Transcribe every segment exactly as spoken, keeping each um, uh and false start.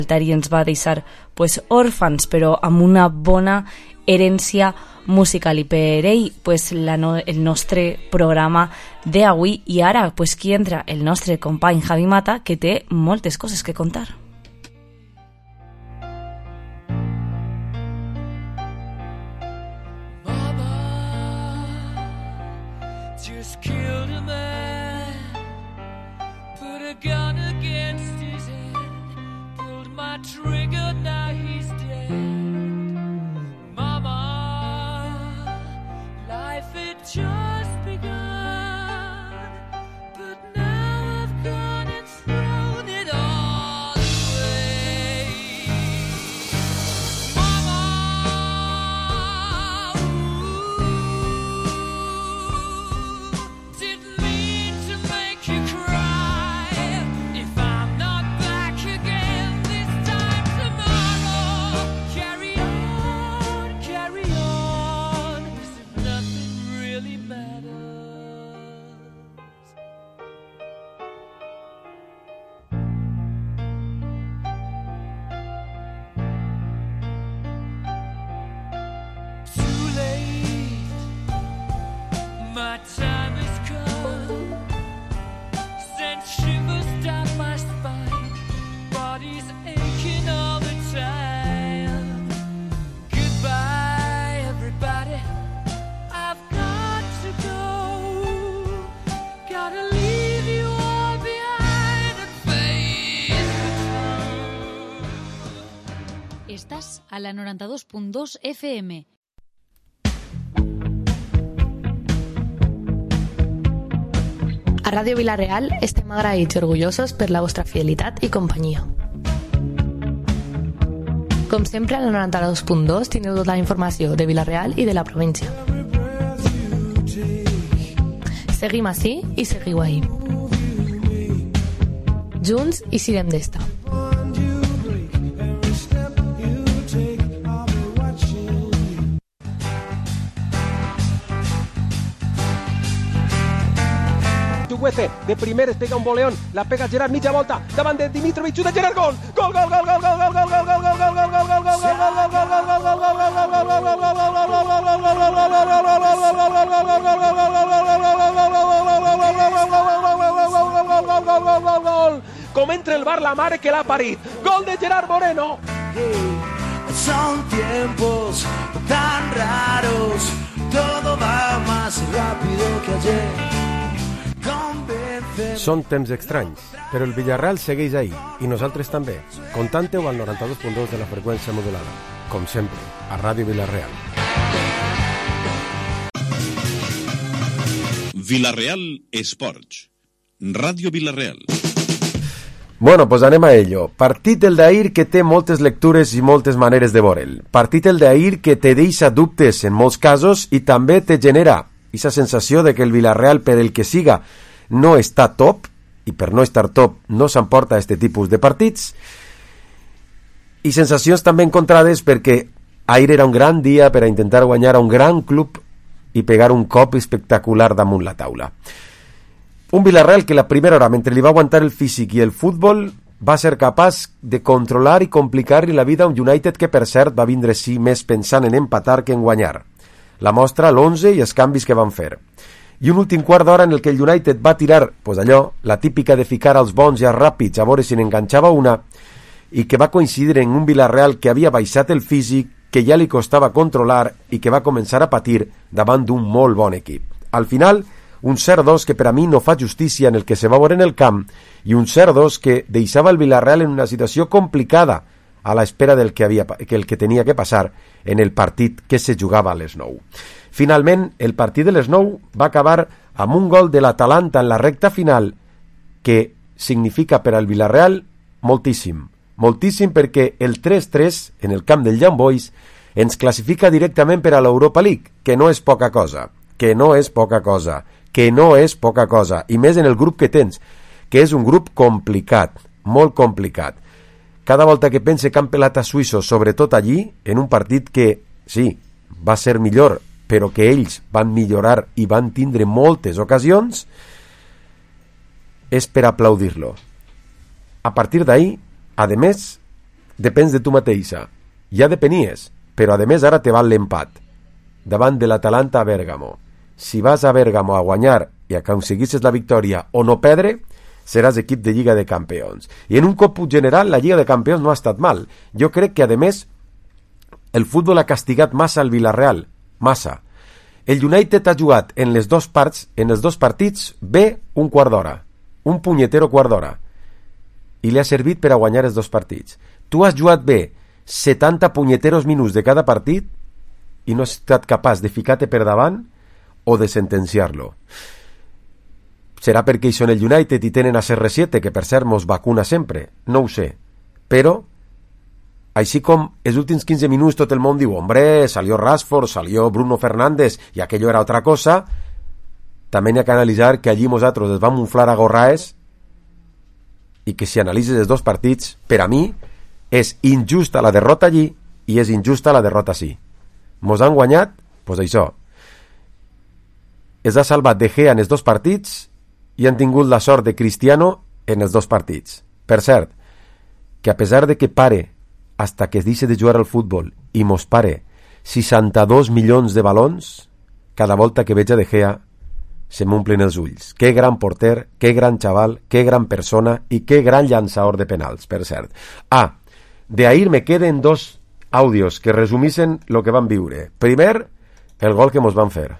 i ens va deixar pues, òrfans, però amb una bona herència musical, i per ell pues, la no, el nostre programa d'avui. I ara pues, qui entra? El nostre company Javi Mata, que té moltes coses que contar. Trigger, now he's dead. Mama, life had just begun, but now I've gone and thrown it all away. Mama, ooh, didn't mean to make you cry. If I'm not back again this time tomorrow, carry on, carry on, as if nothing really matters. Too late, my time has come, sent shivers down my spine, body's aching all the time. Goodbye, everybody, I've got to go, gotta leave you all behind and face the truth. Estás a la noranta-dos punt dos F M. A Ràdio Vila-real estem agraïts i orgullosos per la vostra fidelitat i companyia. Com sempre, a la noranta-dos punt dos tindreu tota la informació de Vila-real i de la província. Seguim ací i seguiu ahí. Junts i sirem d'esta. Güece, de primeres pega un voleón, la pega Gerard mitja volta, davant de Dimitrovic, xuta Gerard, gol! Gol, gol, gol, gol, gol, gol, gol, gol, gol, gol, gol, gol, gol, gol, gol, gol, com entra el bar la mare que l'ha parit, gol de Gerard Moreno. Son tiempos tan raros, todo va más rápido que ayer. Són temps estranys, però el Villarreal segueix ahí, i nosaltres també. Contante-ho al noranta-dos punt dos de la freqüència modulada. Com sempre, a Ràdio Vila-real. Vila-real Esports. Ràdio Vila-real. Bueno, pues anem a ello. Partit el d'ahir que té moltes lectures i moltes maneres de veure'l. Partit el d'ahir que te deixa dubtes en molts casos i també te genera aquesta sensació de que el Villarreal, per el que siga, no està top, i per no estar top no s'emporta este tipus de partits, i sensacions també encontrades perquè ahir era un gran dia per a intentar guanyar a un gran club i pegar un cop espectacular damunt la taula. Un Villarreal que la primera hora, mentre li va aguantar el físic i el futbol, va ser capaç de controlar i complicar-li la vida a un United que, per cert, va vindre sí més pensant en empatar que en guanyar. La mostra, l'onze i els canvis que van fer. I un últim quart d'hora en el que el United va tirar, pues allò, la típica de ficar als bons i als ràpids a veure si n'enganxava una, i que va coincidir en un Villarreal que havia baixat el físic, que ja li costava controlar i que va començar a patir davant d'un molt bon equip. Al final, un zero dos que per a mi no fa justícia en el que se va veure en el camp i un zero dos que deixava el Villarreal en una situació complicada a l'espera del que, havia, que el que tenia que passar en el partit que se jugava a les nou. Finalment, el partit de les nou va acabar amb un gol de l'Atalanta en la recta final que significa per al Villarreal moltíssim. Moltíssim perquè el tres tres en el camp del Young Boys ens classifica directament per a l'Europa League, que no és poca cosa, que no és poca cosa, que no és poca cosa, i més en el grup que tens, que és un grup complicat, molt complicat. Cada volta que pense que han pelat a suïssos, sobretot allí, en un partit que, sí, va ser millor, però que ells van millorar i van tindre moltes ocasions, és per aplaudir-lo. A partir d'ahí, a més, depens de tu mateixa. Ja depenies, però a més ara te val l'empat davant de l'Atalanta a Bèrgamo. Si vas a Bèrgamo a guanyar i aconseguisses la victòria o no perdre, seràs equip de Lliga de Campions. I en un còmput general, la Lliga de Campions no ha estat mal. Jo crec que, a més, el futbol ha castigat massa al Villarreal. Massa. El United ha jugat en les dos parts, en els dos partits, bé un quart d'hora. Un punyetero quart d'hora. I li ha servit per a guanyar els dos partits. Tu has jugat bé setanta punyeteros minuts de cada partit i no has estat capaç de ficar-te per davant o de sentenciar-lo. Serà perquè hi són el United i tenen a C R siete, que per cert mos vacuna sempre, no ho sé. Però, així com els últims quinze minuts tot el món diu hombre, salió Rashford, salió Bruno Fernández i aquello era otra cosa, també n'hi ha que analitzar que allí nosaltres es vam inflar a gorraes i que si analitzes els dos partits, per a mi és injusta la derrota allí i és injusta la derrota sí. Mos han guanyat, doncs pues això. Es ha salvat De Gea en els dos partits i han tingut la sort de Cristiano en els dos partits. Per cert, que a pesar de que pare hasta que es deixi de jugar al futbol i mos pare seixanta-dos milions de balons, cada volta que veig a De Gea se m'omplen els ulls. Que gran porter, que gran xaval, que gran persona i que gran llançador de penals, per cert. Ah, de ahir me queden dos àudios que resumissen lo que van viure. Primer, el gol que mos van fer.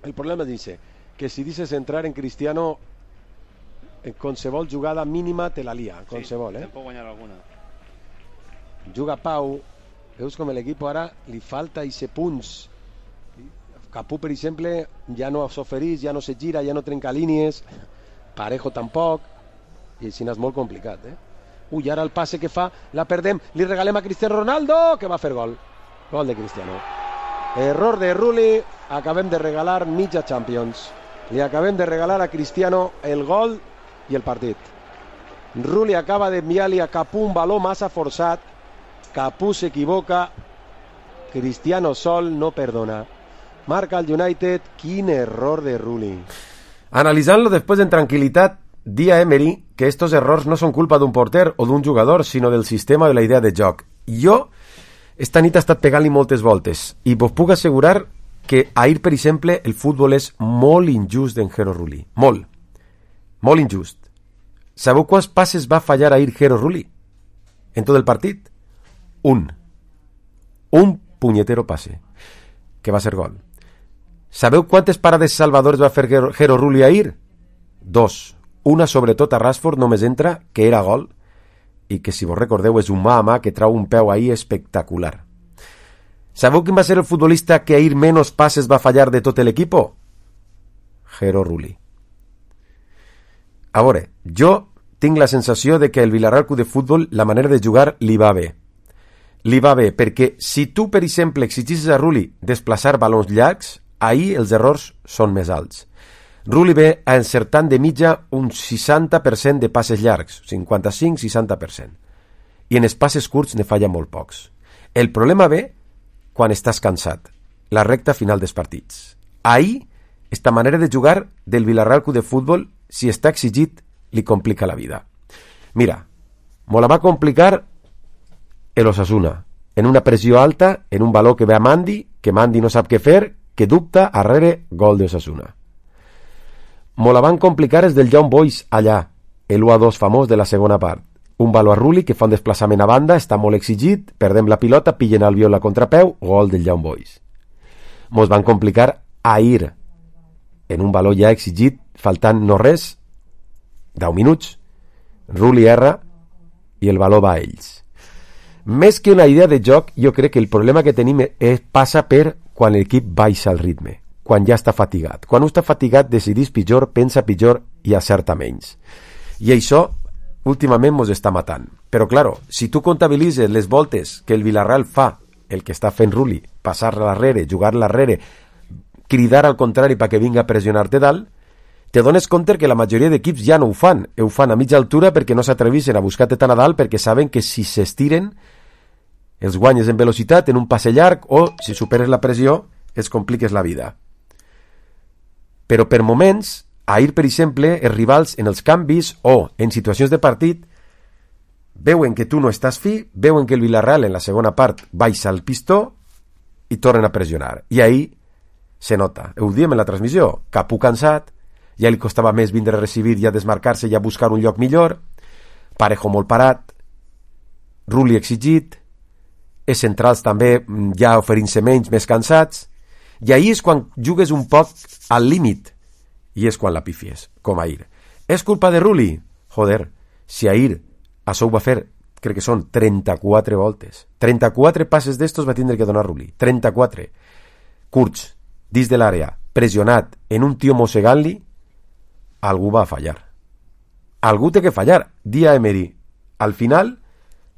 El problema dice que si dices entrar en Cristiano en qualsevol jugada mínima te la lia, qualsevol, sí, eh? Pot guanyar alguna. Juga Pau, veus com l'equip ara li falta i se punts. Capú, per exemple, ja no s'oferís, ja no se gira, ja no trenca línies, Parejo tampoc, i així és molt complicat, eh? Ui, ara el passe que fa, la perdem, li regalem a Cristiano Ronaldo, que va fer gol. Gol de Cristiano. Error de Rulli, acabem de regalar mitja Champions. Li acabem de regalar a Cristiano el gol i el partit. Rulli acaba d'enviar-li a Capú un baló massa forçat, Capú s'equivoca, Cristiano sol no perdona. Marca el United, quin error de Rulli. Analitzant-lo després en tranquil·litat, di a Emery que estos errors no són culpa d'un porter o d'un jugador, sinó del sistema o de la idea de joc. Jo, esta nit ha estat pegant-li moltes voltes i vos puc assegurar que ahir, per exemple, el futbol és molt injust d'en Jero Rulli. Molt. Molt injust. Sabeu quants passes va fallar ahir Jero Rulli? En tot el partit? Un. Un punyetero passe. Que va ser gol. Sabeu quantes parades salvadores va fer Jero Rulli ahir? Dos. Una sobretot a Rashford només entra, que era gol, i que si vos recordeu és un mà a mà que trau un peu ahir espectacular. Sabeu quin va ser el futbolista que ahir menys passes va fallar de tot l'equip? Jero Rulli. A veure, jo tinc la sensació de que el Villarreal Club de Futbol la manera de jugar li va bé. Li va bé perquè si tu, per exemple, exigissis a Rulli desplaçar balons llargs, ahir els errors són més alts. Rulli ve a encertant de mitja un seixanta per cent de passes llargs, cinquanta-cinc a seixanta per cent. I en els passes curts ne falla molt pocs. El problema ve quan estàs cansat, la recta final dels partits. Ahir, esta manera de jugar del Villarreal Club de Futbol, si està exigit, li complica la vida. Mira, me la va complicar el Osasuna, en una pressió alta, en un baló que ve a Mandi, que Mandi no sap què fer, que dubta, arrere, gol de Osasuna. Me la van complicar els del Young Boys allà, el u a dos famós de la segona part. Un baló a Rulli que fa un desplaçament a banda, està molt exigit, perdem la pilota, pillen el viol a contrapeu, gol del Young Boys. Mos van complicar ahir, en un baló ja exigit, faltant no res, deu minuts, Rulli erra i el baló va a ells. Més que una idea de joc, jo crec que el problema que tenim és, passa per quan l'equip baixa el ritme, quan ja està fatigat. Quan està fatigat decidís pitjor, pensa pitjor i acerta menys. I això últimament mos està matant. Però claro, si tu comptabilitzes les voltes que el Villarreal fa, el que està fent Rulli, passar-la darrere, jugar-la darrere, cridar al contrari perquè vinga a pressionar-te dalt, te dones compte que la majoria d'equips ja no ho fan. Ho fan a mitja altura perquè no s'atreveixen a buscar-te tan a dalt perquè saben que si s'estiren els guanyes en velocitat, en un passe llarg, o si superes la pressió, els compliques la vida. Però per moments, ahir, per exemple, els rivals en els canvis o en situacions de partit veuen que tu no estàs fi, veuen que el Villarreal en la segona part baixa el pistó i tornen a pressionar. I ahí se nota. Ho diem en la transmissió. Capú cansat, ja li costava més vindre a recibir i a desmarcar-se i a buscar un lloc millor, Parejo molt parat, Rulli exigit, els centrals també ja oferint-se menys, més cansats, i ahí és quan jugues un poc al límit, i és quan la pifies, com ahir. És culpa de Rulli? Joder, si ahir això ho va fer, crec que són trenta-quatre voltes. trenta-quatre passes d'estos va tindre que donar Rulli. trenta-quatre. Curts, dins de l'àrea, pressionat en un tio mossegant-li, algú va fallar. Algú té que fallar. Dia Emery. Al final,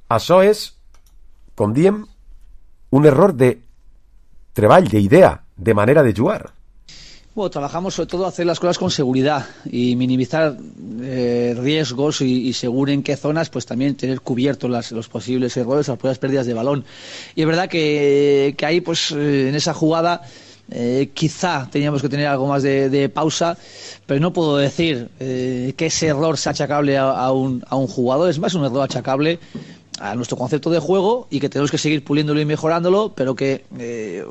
això és, com diem, un error de treball, d'idea, de manera de jugar. Bueno, trabajamos sobre todo hacer las cosas con seguridad y minimizar eh, riesgos y, y según en qué zonas, pues también tener cubiertos las, los posibles errores, las posibles pérdidas de balón. Y es verdad que, que ahí, pues eh, en esa jugada, Eh, quizá teníamos que tener algo más de, de pausa, pero no puedo decir eh, que ese error sea achacable a, a, un, a un jugador. Es más un error achacable a nuestro concepto de juego y que tenemos que seguir puliéndolo y mejorándolo, pero que eh,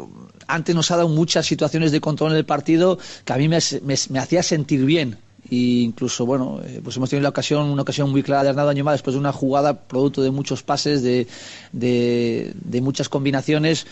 antes nos ha dado muchas situaciones de control en el partido que a mí me, me, me hacía sentir bien. E incluso, bueno, eh, pues hemos tenido la ocasión, una ocasión muy clara de Arnaldo Añomá después de una jugada producto de muchos pases, de, de, de muchas combinaciones,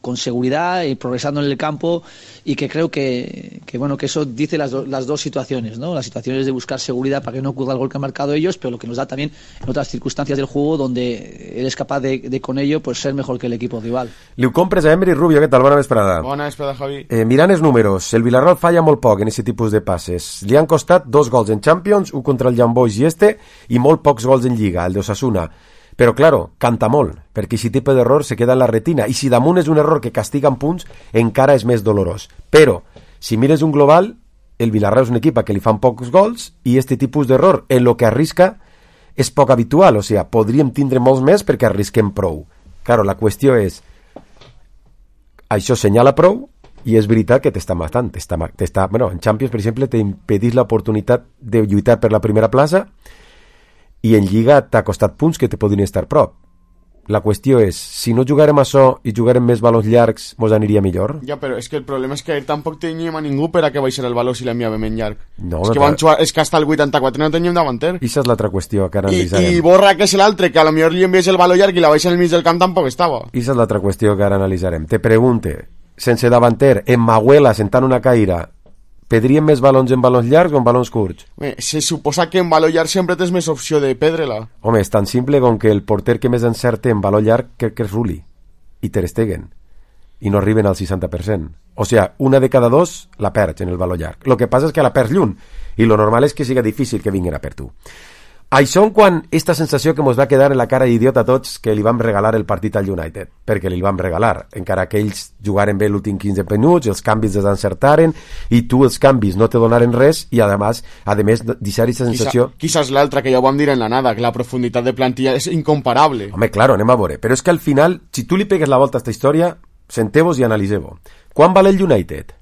con seguridad y progresando en el campo, y que creo que, que bueno, que eso dice las, do, las dos situaciones, ¿no? Las situaciones de buscar seguridad para que no ocurra el gol que han marcado ellos, pero lo que nos da también en otras circunstancias del juego donde eres capaz de, de con ello pues ser mejor que el equipo rival. Li ho compres a Emery. Rubio, què tal? Bona vesprada. Bona vesprada, Javi. Eh, mirant els números, el Villarreal falla molt poc en aquest tipus de passes. Li han costat dos gols en Champions, un contra el Young Boys i este, i molt pocs gols en Lliga, el d'Osasuna. Però, claro, canta molt, perquè aquest tipus d'error se queda en la retina, i si damunt és un error que castiga en punts, encara és més dolorós. Però, si mires un global, el Villarreal és un equip a que li fan pocs gols, i este tipus d'error, en lo que arrisca, és poc habitual, o sigui, podríem tindre molts més perquè arrisquem prou. Claro, la qüestió és, això senyala prou, i és veritat que t'està matant, t'està, t'està, bueno, en Champions, per exemple, t'impedís l'oportunitat de lluitar per la primera plaça, i en Lliga t'ha costat punts que te podrien estar prop. La qüestió és, si no jugarem això i jugarem més balons llargs, mos aniria millor? Ja, però és que el problema és que ahir tampoc teníem a ningú per a que baixar el baló si l'enviàvem en llarg. No, és, que van jugar, és que hasta el vuitanta-quatre no teníem davanter. Ixa és l'altra qüestió que ara I, analitzarem. I Borra, que és l'altre, que a lo millor li envies el baló llarg i la baixa en el mig del camp tampoc estava. Ixa és l'altra qüestió que ara analitzarem. Te pregunte, sense davanter, en Mahuela sentant una caïra, pedríem més balons en balons llargs o en balons curts? Bé, se suposa que en baló llarg sempre tens més opció de perdre-la. Home, és tan simple com que el porter que més encerte en baló llarg crec que és Rulli i Ter Stegen, i no arriben al seixanta per cent. O sigui, una de cada dos la perds en el baló llarg. El que passa és que la perds lluny, i lo normal és que siga difícil que vinguin a per tu. Això en quan esta sensació que ens va quedar en la cara d'idiota a tots que li vam regalar el partit al United, perquè li vam regalar, encara que ells jugaren bé l'últim quinze minuts, els canvis desencertaren, i tu els canvis no te donaren res, i además, a més, deixar aquesta sensació... Quizás, quizás l'altra, que ja ho vam dir en la nada, que la profunditat de plantilla és incomparable. Home, claro, anem a veure, però és que al final, si tu li pegues la volta a aquesta història, senteu-vos i analiseu-ho. Quan val el United?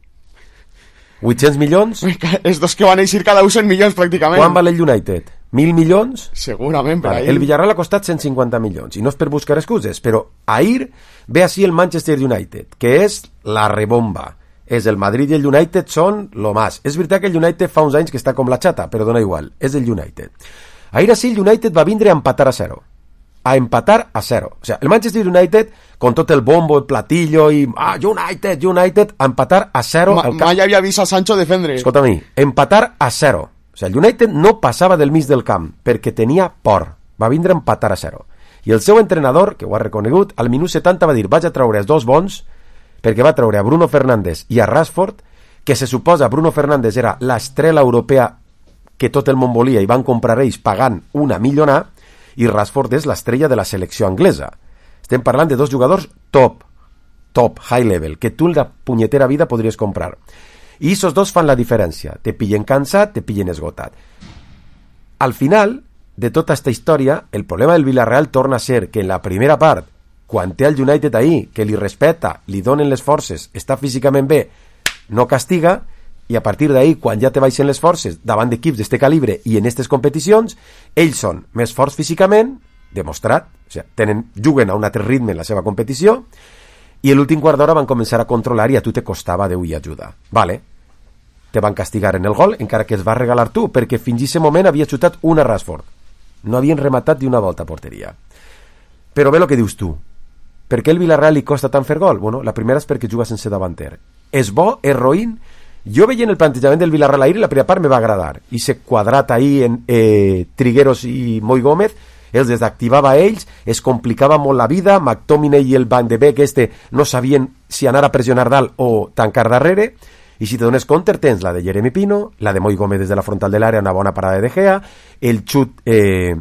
vuit-cents milions? Els dos que van eixir cada un cent milions, pràcticament. Quan val el United? Mil milions? Segurament, per vale. ahir. El Villarreal ha costat cent cinquanta milions, i no és per buscar excuses, però ahir ve així el Manchester United, que és la rebomba. És el Madrid i el United són lo más. És veritat que el United fa uns anys que està com la xata, però dona igual, és el United. Ahir així el United va vindre a empatar a zero. A empatar a zero. O sea, el Manchester United, con tot el bombo, el platillo i ah, United, United, a empatar a zero. Ma, mai havia vist a Sancho defendre. Escolta a mi, empatar a zero. O sigui, el United no passava del mig del camp perquè tenia por. Va vindre a empatar a zero. I el seu entrenador, que ho ha reconegut, al minut setanta va dir vaig a treure els dos bons, perquè va treure a Bruno Fernández i a Rashford, que se suposa Bruno Fernández era l'estrela europea que tot el món volia i van comprar ells pagant una milionà, i Rashford és l'estrella de la selecció anglesa. Estem parlant de dos jugadors top, top, high level, que tu en la punyetera vida podries comprar. I aquests dos fan la diferència. Te pillen cansat, te pillen esgotat. Al final de tota aquesta història, el problema del Villarreal torna a ser que en la primera part, quan té el United ahí, que li respecta, li donen les forces, està físicament bé, no castiga, i a partir d'ahí, quan ja te baixen les forces davant d'equips d'este calibre i en aquestes competicions, ells són més forts físicament demostrat, o sigui, tenen, juguen a un altre ritme en la seva competició, i l'últim quart d'hora van començar a controlar i a tu te costava Déu i ajuda. Vale, te van castigar en el gol, encara que es va regalar tu, perquè fins a aquest moment havia xutat una Rashford. No havien rematat d'una volta a porteria. Però bé el que dius tu. Per què el Villarreal li costa tant fer gol? Bueno, la primera és perquè juga sense davanter. És bo, és roïn. Jo veient el plantejament del Villarreal ahir, la primera part me va agradar. I se quadrat ahir en eh, Trigueros i Moi Gómez, els desactivava a ells, es complicava molt la vida, McTominay i el Van de Beek este no sabien si anar a pressionar dalt o tancar darrere, i si te dones compte tens la de Jeremy Pino, la de Moi Gómez des de la frontal de l'àrea, una bona parada de De Gea, el xut eh,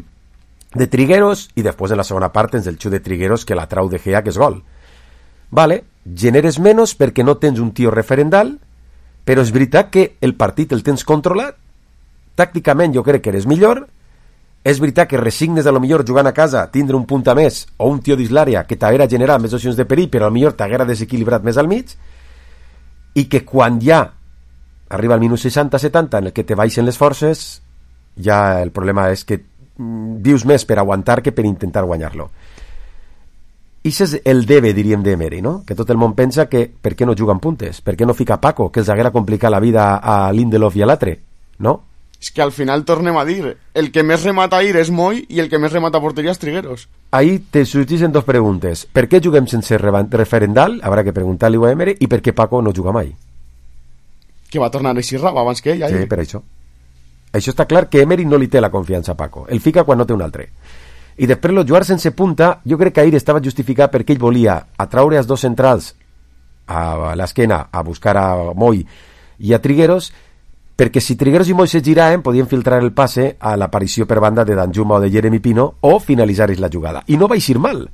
de Trigueros, i després en la segona part tens el xut de Trigueros que la trau De Gea, que és gol. Vale, generes menys perquè no tens un tio referendal, però és veritat que el partit el tens controlat, tàcticament jo crec que eres millor, és veritat que resignes a lo millor jugant a casa tindre un punt a més o un tio dins l'àrea que t'haguera generat més opcions de perill, però a lo millor t'haguera desequilibrat més al mig, i que quan ja arriba al minut seixanta setanta en el que te baixen les forces, ja el problema és que mm, dius més per aguantar que per intentar guanyar-lo. I és el debe, diríem, d'Emery, no? Que tot el món pensa que per què no juguen puntes? Per què no fica Paco, que els haguera complicat la vida a Lindelof i a l'altre? No? És que al final tornem a dir, el que més remata ahir és Moi i el que més remata a porteria és Trigueros. Ahí te sorgeixen dos preguntes. Per què juguem sense referendal? Habrá que preguntar-li a Emery. I per què Paco no juga mai? Que va tornar a Xirraba abans que ell. Ahir. Sí, per això. Això està clar que Emery no li té la confiança a Paco. El fica quan no té un altre. I després el jugar sense punta, jo crec que ahir estava justificat perquè ell volia atraure els dos centrals a l'esquena a buscar a Moi i a Trigueros, perquè si Trigueros i Moi se giraven podien filtrar el passe a l'aparició per banda de Danjuma o de Jeremy Pino o finalitzar la jugada. I no va eixir mal.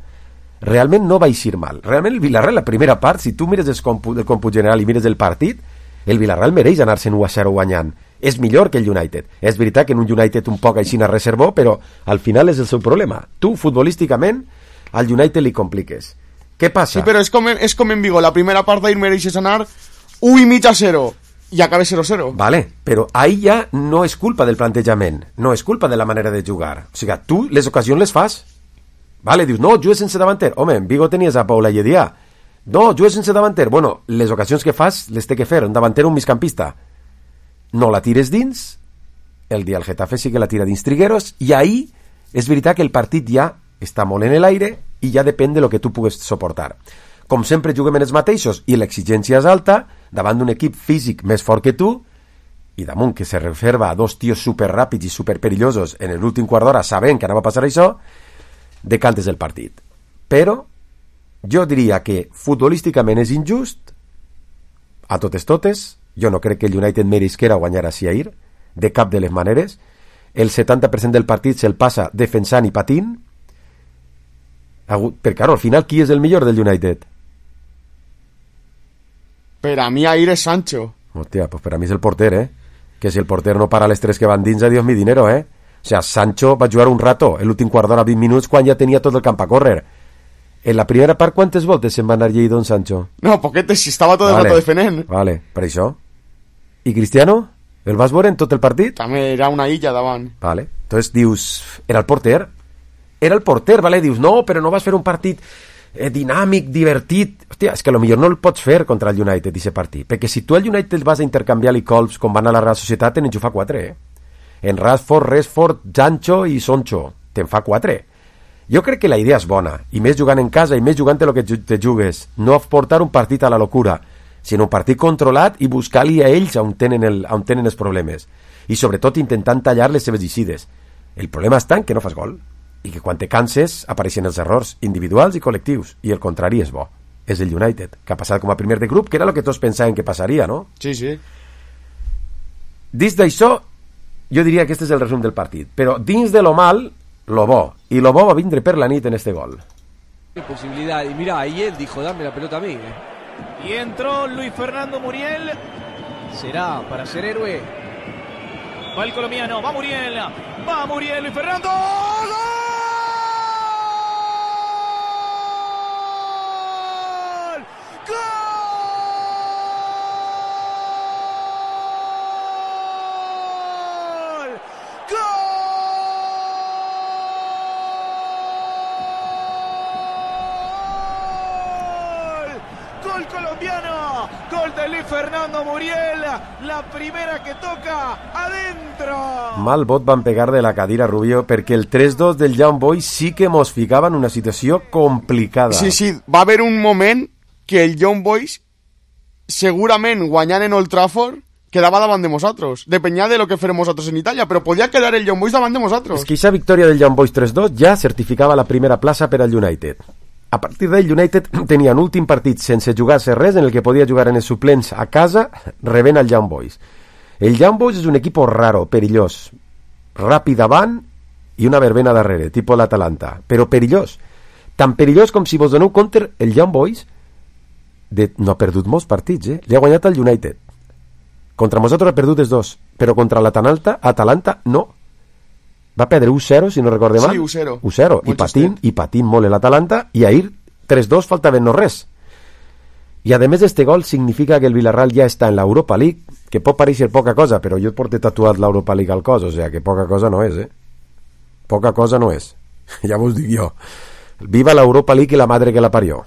Realment no va eixir mal. Realment el Villarreal, la primera part, si tu mires el còmput, el còmput general i mires el partit, el Villarreal mereix anar-se'n u a zero guanyant. És millor que el United. És veritat que en un United un poc així reservó, però al final és el seu problema. Tu, futbolísticament, al United li compliques. Què passa? Sí, però és com, és com en Vigo. La primera part d'ahir mereixes anar u i mig a zero. I acaba zero cero. Vale, però ahí ja no és culpa del plantejament, no és culpa de la manera de jugar. O sigui, tu les ocasions les fas. Vale, dius, no, jugues sense davanter. Home, en Vigo tenies a Paula Lledià. No, jugues sense davanter. Bueno, les ocasions que fas les té que fer un davanter o un migcampista. No la tires dins, el dia el Getafe sí que la tira dins Trigueros, i ahí és veritat que el partit ja està molt en l'aire i ja depèn de lo que tu pugues suportar. Com sempre juguem en els mateixos i l'exigència és alta, davant d'un equip físic més fort que tu, i damunt que se reserva a dos tios superràpids i superperillosos en l'últim quart d'hora sabent que anava a passar això, decantes el partit. Però jo diria que futbolísticament és injust, a totes totes, jo no crec que el United meresquera guanyar a ahir, de cap de les maneres, el setanta per cent del partit se'l passa defensant i patint, perquè claro, al final qui és el millor del United? Per a mi ahir és Sancho. Hòstia, pues per a mi és el porter, eh? Que si el porter no para les tres que van dins, adiós mi dinero, eh? O sea, Sancho va jugar un rato, l'últim quart d'hora, vint minuts, quan ja tenia tot el camp a córrer. En la primera part, quantes voltes se'n va anar llei don Sancho? No, poquetes, si estava tot el vale, rato defenent. Vale, per això. I Cristiano? El vas veure en tot el partit? També era una illa davant. Vale, entonces dius, era el porter? Era el porter, vale? Dius, no, però no vas fer un partit eh, dinàmic, divertit. Hòstia, és que potser no el pots fer contra el United, aquest partit. Perquè si tu al United vas a intercanviar-li colps com van a la Real Societat, te'n fa quatre, eh? En Rashford, Rashford, Sancho i Soncho. Te'n fa quatre. Jo crec que la idea és bona, i més jugant en casa, i més jugant el que te jugues. No portar un partit a la locura, sinó un partit controlat i buscar-li a ells on tenen, el, on tenen els problemes. I sobretot intentant tallar les seves eixides. El problema està en que no fas gol, i que quan te canses apareixen els errors individuals i col·lectius, i el contrari és bo. És el United, que ha passat com a primer de grup, que era el que tots pensaven que passaria, no? Sí, sí. Dins d'això, jo diria que este és el resum del partit. Però dins de lo mal, lo bo. Y lo bo va a vindre per la nit en este gol. Posibilidad, y mira, ahí él dijo, dame la pelota a mí. ¿eh? Y entró Luis Fernando Muriel. Será para ser héroe. Va el colombiano, va Muriel. Va Muriel, Luis Fernando. ¡Gol! ¡Gol! gol colombiano, gol de Luis Fernando Muriel, la primera que toca adentro. Mal vot van pegar de la cadira, Rubio, perquè el tres dos del Young Boys sí que mos ficava en una situació complicada. Sí, sí, va haver un moment que el Young Boys segurament guanyant en Old Trafford quedava davant de nosaltres. Depenia de lo que farem nosaltres en Itàlia, però podia quedar el Young Boys davant de nosaltres. És que aquesta victòria del Young Boys tres dos ja certificava la primera plaça per al United. A partir d'ell, United tenia un últim partit sense jugar-se res, en el que podia jugar en els suplents a casa, rebent el Young Boys. El Young Boys és un equip raro, perillós, ràpid davant i una verbena darrere, tipus l'Atalanta, però perillós. Tan perillós com si vos doneu compte, el Young Boys de, no ha perdut molts partits, eh? Li ha guanyat el United. Contra nosaltres ha perdut els dos, però contra l'Atalanta, Atalanta, no. Va perdre u zero, si no recorde mal. Sí, u zero. u zero. I patint, i patint molt l'Atalanta, i ahir tres dos faltaven no res. I a més d'este gol significa que el Villarreal ja està en l'Europa League, que pot pareixer poca cosa, però jo porto tatuat l'Europa League al cos, o sigui que poca cosa no és, eh? Poca cosa no és. Ja vos dic jo. Viva l'Europa League i la madre que la parió,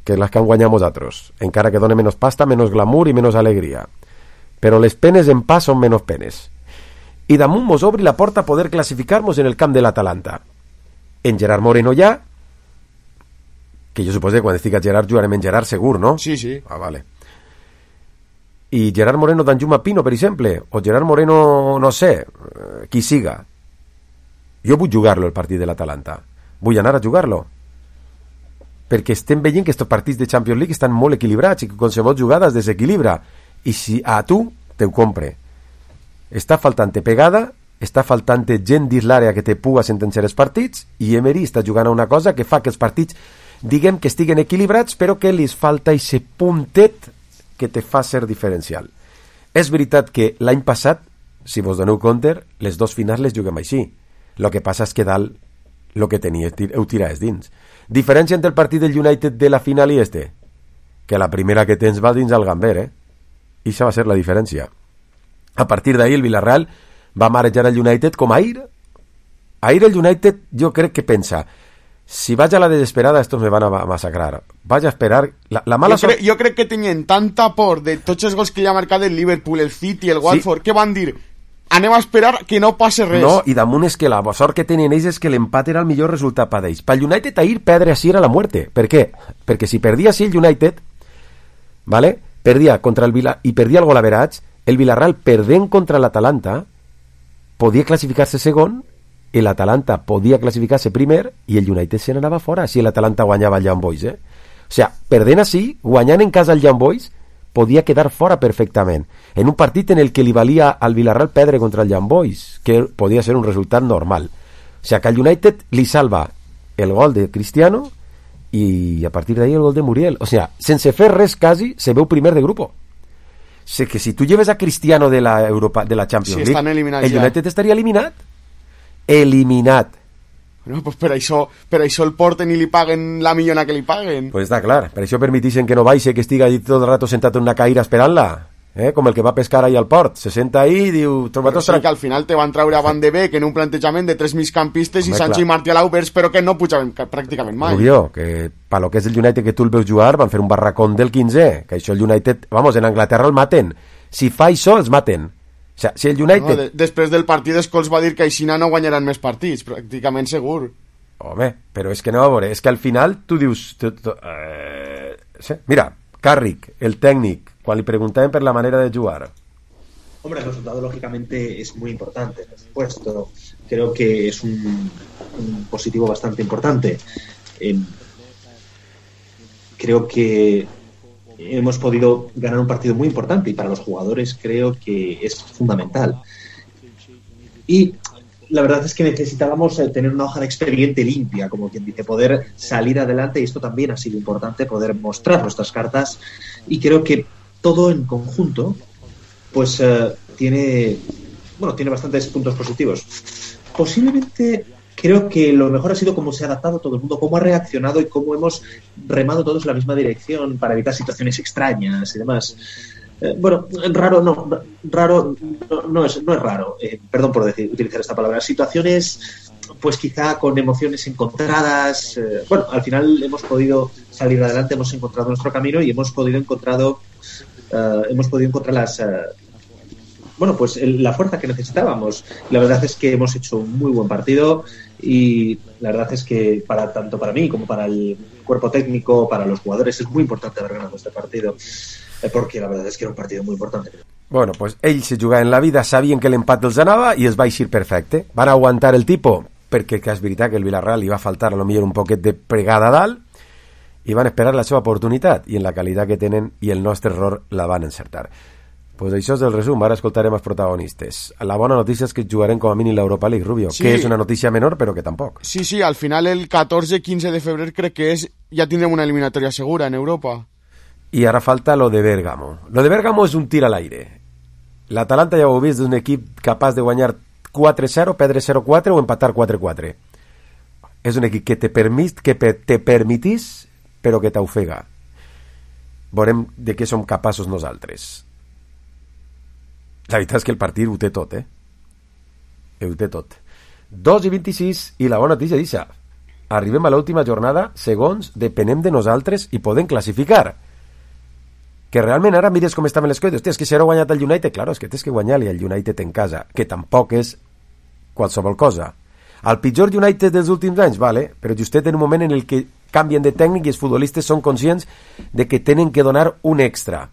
que les que han guanyat nosaltres, encara que dona menys pasta, menys glamour i menys alegria. Però les penes en pas són menys penes. I damunt mos obri la porta a poder classificar-nos en el camp de l'Atalanta. En Gerard Moreno ja, que jo suposo que quan estic a Gerard jugarem en Gerard segur, no? Sí, sí. Ah, vale. I Gerard Moreno d'Anjuma Pino, per exemple, o Gerard Moreno, no sé, qui siga. Jo vull jugar-lo el partit de l'Atalanta. Vull anar a jugar-lo. Perquè estem veient que estos partits de Champions League estan molt equilibrats i que qualsevol jugada es desequilibra. I si a tu te ho compre. Està faltant pegada, està faltant gent dins l'àrea que te puga sentenciar els partits, i Emery està jugant a una cosa que fa que els partits, diguem que estiguen equilibrats, però que li falta aquest puntet que te fa ser diferencial. És veritat que l'any passat, si vos doneu compte, les dos finals les juguem així. El que passa és que dalt el que tenia ho tiraves dins. Diferència entre el partit del United de la final i este, que la primera que tens va dins el Gamber, eh? I això va ser la diferència. A partir d'ahir el Villarreal va marejar el United com ahir. Ahir el United jo crec que pensa, si vaig a la desesperada estos me van a massacrar. Vaig a esperar... La, la mala jo, crec, jo crec que tenien tanta por de tots els gols que hi ha marcat el Liverpool, el City, el Watford, sí, que van dir, anem a esperar que no passe res. No, i damunt és que la sort que tenien ells és que l'empat era el millor resultat per ells. Pel United ahir perdre així era la muerte. Per què? Perquè si perdia així el United, ¿vale? Perdia contra el Vila i perdia el gol average, el Villarreal perdent contra l'Atalanta podia classificar-se segon i l'Atalanta podia classificar-se primer i el United se n'anava fora si l'Atalanta guanyava el Young Boys, eh? O sigui, perdent així, guanyant en casa el Young Boys, podia quedar fora perfectament en un partit en el que li valia al Villarreal perdre contra el Young Boys, que podia ser un resultat normal. O sigui, que al United li salva el gol de Cristiano i a partir d'ahí el gol de Muriel. O sigui, sense fer res quasi, se veu primer de grupo. O sigui, que si tu lleves a Cristiano de la, Europa, de la Champions sí, League, el ja. United estaria eliminat. Eliminat. No, pues per això, per això el porten i li paguen la millona que li paguen. Pues està clar, per això permitixen que no baixi, que estiga allí tot el rato sentat en una caïra esperant-la, eh? Com el que va pescar ahí al port, se senta ahí i diu... Però sí que al final te van traure a Van de Beek en un plantejament de tres migcampistes i Sancho i Martial Aubers, però que no pujaven pràcticament mai. Rubio, que pa lo que és el United que tu el veus jugar van fer un barracón del quinze, que això el United, vamos, en Anglaterra el maten. Si fa això, els maten. O sea, si el United... No, de, després del partit Scholes va dir que aixina no guanyaran més partits, pràcticament segur. Home, però és que no, a veure, és que al final tu dius... Tu, tu, eh, sí. Mira, Carrick, el técnic, cuando le preguntaban por la manera de jugar. Hombre, el resultado lógicamente es muy importante, por supuesto. Creo que es un, un positivo bastante importante. Eh, creo que hemos podido ganar un partido muy importante y para los jugadores creo que es fundamental. Y la verdad es que necesitábamos tener una hoja de expediente limpia, como quien dice, poder salir adelante, y esto también ha sido importante, poder mostrar nuestras cartas, y creo que todo en conjunto pues uh, tiene bueno tiene bastantes puntos positivos. Posiblemente creo que lo mejor ha sido cómo se ha adaptado todo el mundo, cómo ha reaccionado y cómo hemos remado todos en la misma dirección para evitar situaciones extrañas y demás. Eh, bueno, raro no, raro no, no, es, no es raro, eh, perdón por decir, utilizar esta palabra, situaciones pues quizá con emociones encontradas. Eh, bueno, al final hemos podido salir adelante, hemos encontrado nuestro camino y hemos podido encontrado, eh, hemos podido encontrar las, eh, bueno, pues el, la fuerza que necesitábamos. La verdad es que hemos hecho un muy buen partido y la verdad es que para tanto para mí como para el cuerpo técnico, para los jugadores, es muy importante haber ganado este partido, eh, porque la verdad es que era un partido muy importante. Bueno, pues ells se jugaven la vida, sabien que l'empat els anava i es va eixir perfecte. Van aguantar el tipo, perquè que és veritat que el Villarreal li va faltar a lo millor un poquet de pregada a dalt, i van esperar la seva oportunitat, i en la qualitat que tenen i el nostre error la van encertar. Pues això és el resum, ara escoltarem els protagonistes. La bona notícia és que jugarem com a mínim l'Europa League, Rubio, sí. Que és una notícia menor, però que tampoc. Sí, sí, al final el catorze quince de febrer crec que és, ja tindrem una eliminatòria segura en Europa. I ara falta lo de Bérgamo. Lo de Bérgamo és un tir a l'aire. L'Atalanta ja ho heu vist, és un equip capaç de guanyar quatre zero, perdre zero quatre o empatar quatre quatre. És un equip que te, permit, que te permitís, però que t'ofega. Veurem de què som capaços nosaltres. La veritat és que el partit ho té tot, eh? Ho té tot. dos i vint-i-sis, i la bona notícia dixa. Arribem a l'última jornada, segons depenem de nosaltres i podem classificar. Que realment ara mires com estaven les coses. Hòstia, és que si ara ha guanyat el United, claro, és que tens que guanyar-li el United en casa, que tampoc és qualsevol cosa. El pitjor United dels últims anys, vale, però justet en un moment en el que canvien de tècnic i els futbolistes són conscients de que tenen que donar un extra.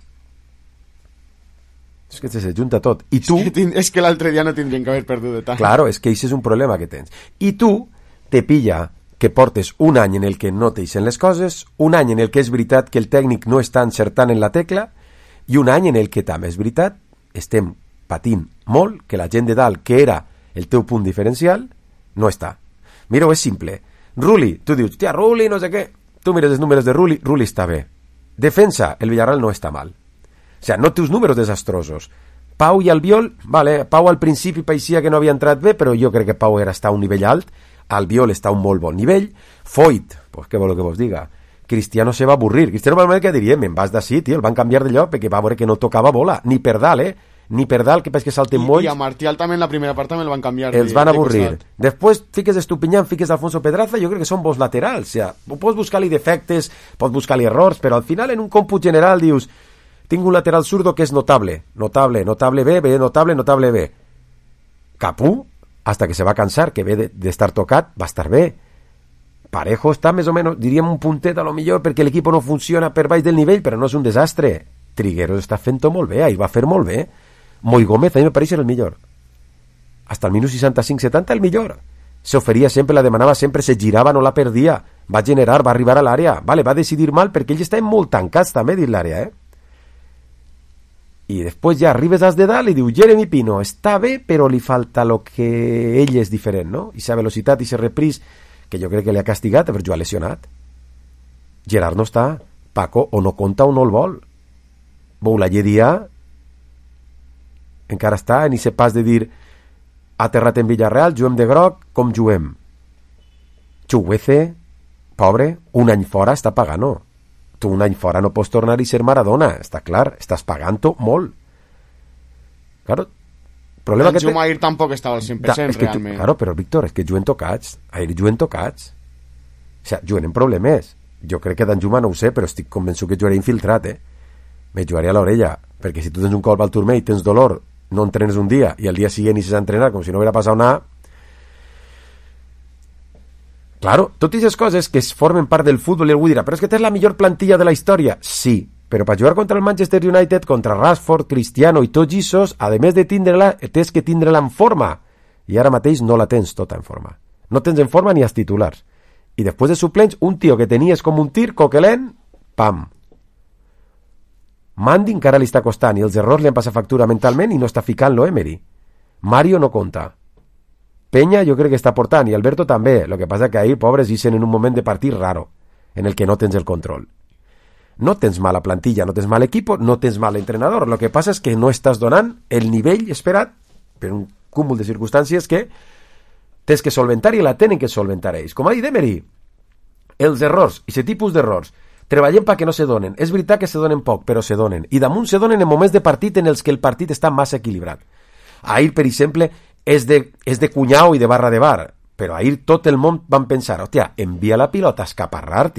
És que se junta tot. I tu... És que, és que l'altre dia no tindrien que haver perdut de tant. Claro, és que això és un problema que tens. I tu te pilla que portes un any en el que no t'eixen les coses, un any en el que és veritat que el tècnic no està encertant en la tecla, i un any en el que també és veritat, estem patint molt, que la gent de dalt, que era el teu punt diferencial, no està. Mira, és simple. Rulli, tu dius, tia, Rulli, no sé què. Tu mires els números de Rulli, Rulli està bé. Defensa, el Villarreal no està mal. O sea, no té uns números desastrosos. Pau i Albiol, vale, Pau al principi paeixia que no havia entrat bé, però jo crec que Pau era estar a un nivell alt, Albiol està a un molt bon nivell, Foyt, pues què vol que vos diga, Cristiano se va avorrir, Cristiano va que diria, me'n vas d'ací, tio, el van canviar de lloc perquè va veure que no tocava bola, ni per dalt, eh, ni per dalt, que pens que salten molls. I a Martial també en la primera part també el van canviar. Els van avorrir. Després fiques Estupiñán, fiques Alfonso Pedraza, jo crec que són bons laterals, o sea, pots buscar-li defectes, pots buscar-li errors, però al final en un còmput general dius, tinc un lateral zurdo que és notable, notable, notable bé, bé, notable, notable bé. Capú, hasta que se va cansar, que ve d'estar de, tocat, va estar bé. Parejo està més o menys, diríem un puntet a lo millor, perquè l'equip no funciona per baix del nivell, però no és un desastre. Trigueros està fent-ho molt bé, ahir va fer molt bé. Moi Gómez, a mi me pareix el millor. Hasta el minut seixanta-cinc setanta el millor. Se oferia sempre, la demanava sempre, se girava, no la perdia. Va generar, va arribar a l'àrea. Vale, va decidir mal perquè ells estaven molt tancats també dins l'àrea, eh? I després ja arribes als de dalt i diu Jeremy Pino, està bé, però li falta lo que ell és diferent, no? I sa velocitat i sa repris, que jo crec que li ha castigat per jugar lesionat. Gerard no està. Paco o no compta o no el vol. Boulaye Dia encara està en ese pas de dir aterrat en Villarreal, juguem de groc, com juguem? Chuguece, pobre, un any fora està pagant, no? Tu un any fora no pots tornar i ser Maradona, està clar, estàs pagant-ho molt. Claro, problema el que té... Jumair tampoc estava al cent per cent, da, realment. Tu, claro, però Víctor, és que juguen tocats, ahir juguen tocats. O sea, juguen en problemes. Jo crec que d'en Juma no ho sé, però estic convençut que jugaré infiltrat, eh? Me jugaré a l'orella, perquè si tu tens un colp al turmell i tens dolor, no entrenes un dia, i al dia siguiente inicies a entrenar com si no hubiera passat nada. Claro, totes aquestes coses que es formen part del futbol i algú dirà, però és que tens la millor plantilla de la història. Sí, però per jugar contra el Manchester United, contra Rashford, Cristiano i tots aquests, a més de tindre-la, tens que tindre-la en forma. I ara mateix no la tens tota en forma. No tens en forma ni als titulars. I després de suplents, un tio que tenies com un tir, coquelent, pam. Mandy encara li està costant i els errors li han passat factura mentalment i no està ficant-lo Emery. Mario no compta. Peña jo crec que està portant i Alberto també, el que passa que ahir pobres hicen en un moment de partit raro en el que no tens el control. No tens mala plantilla, no tens mal equip, no tens mal entrenador, el que passa és que no estàs donant el nivell esperat per un cúmul de circumstàncies que tens que solventar i la tenen que solventar ells. Com ha dit Emery, els errors, i aquest tipus d'errors treballem perquè no se donen, és veritat que se donen poc però se donen, i damunt se donen en moments de partit en els que el partit està massa equilibrat. Ahir, per exemple, és de, és de cunyau i de barra de bar, però ahir tot el món van pensar, hòstia, envia la pilota a escaparrar-t'hi.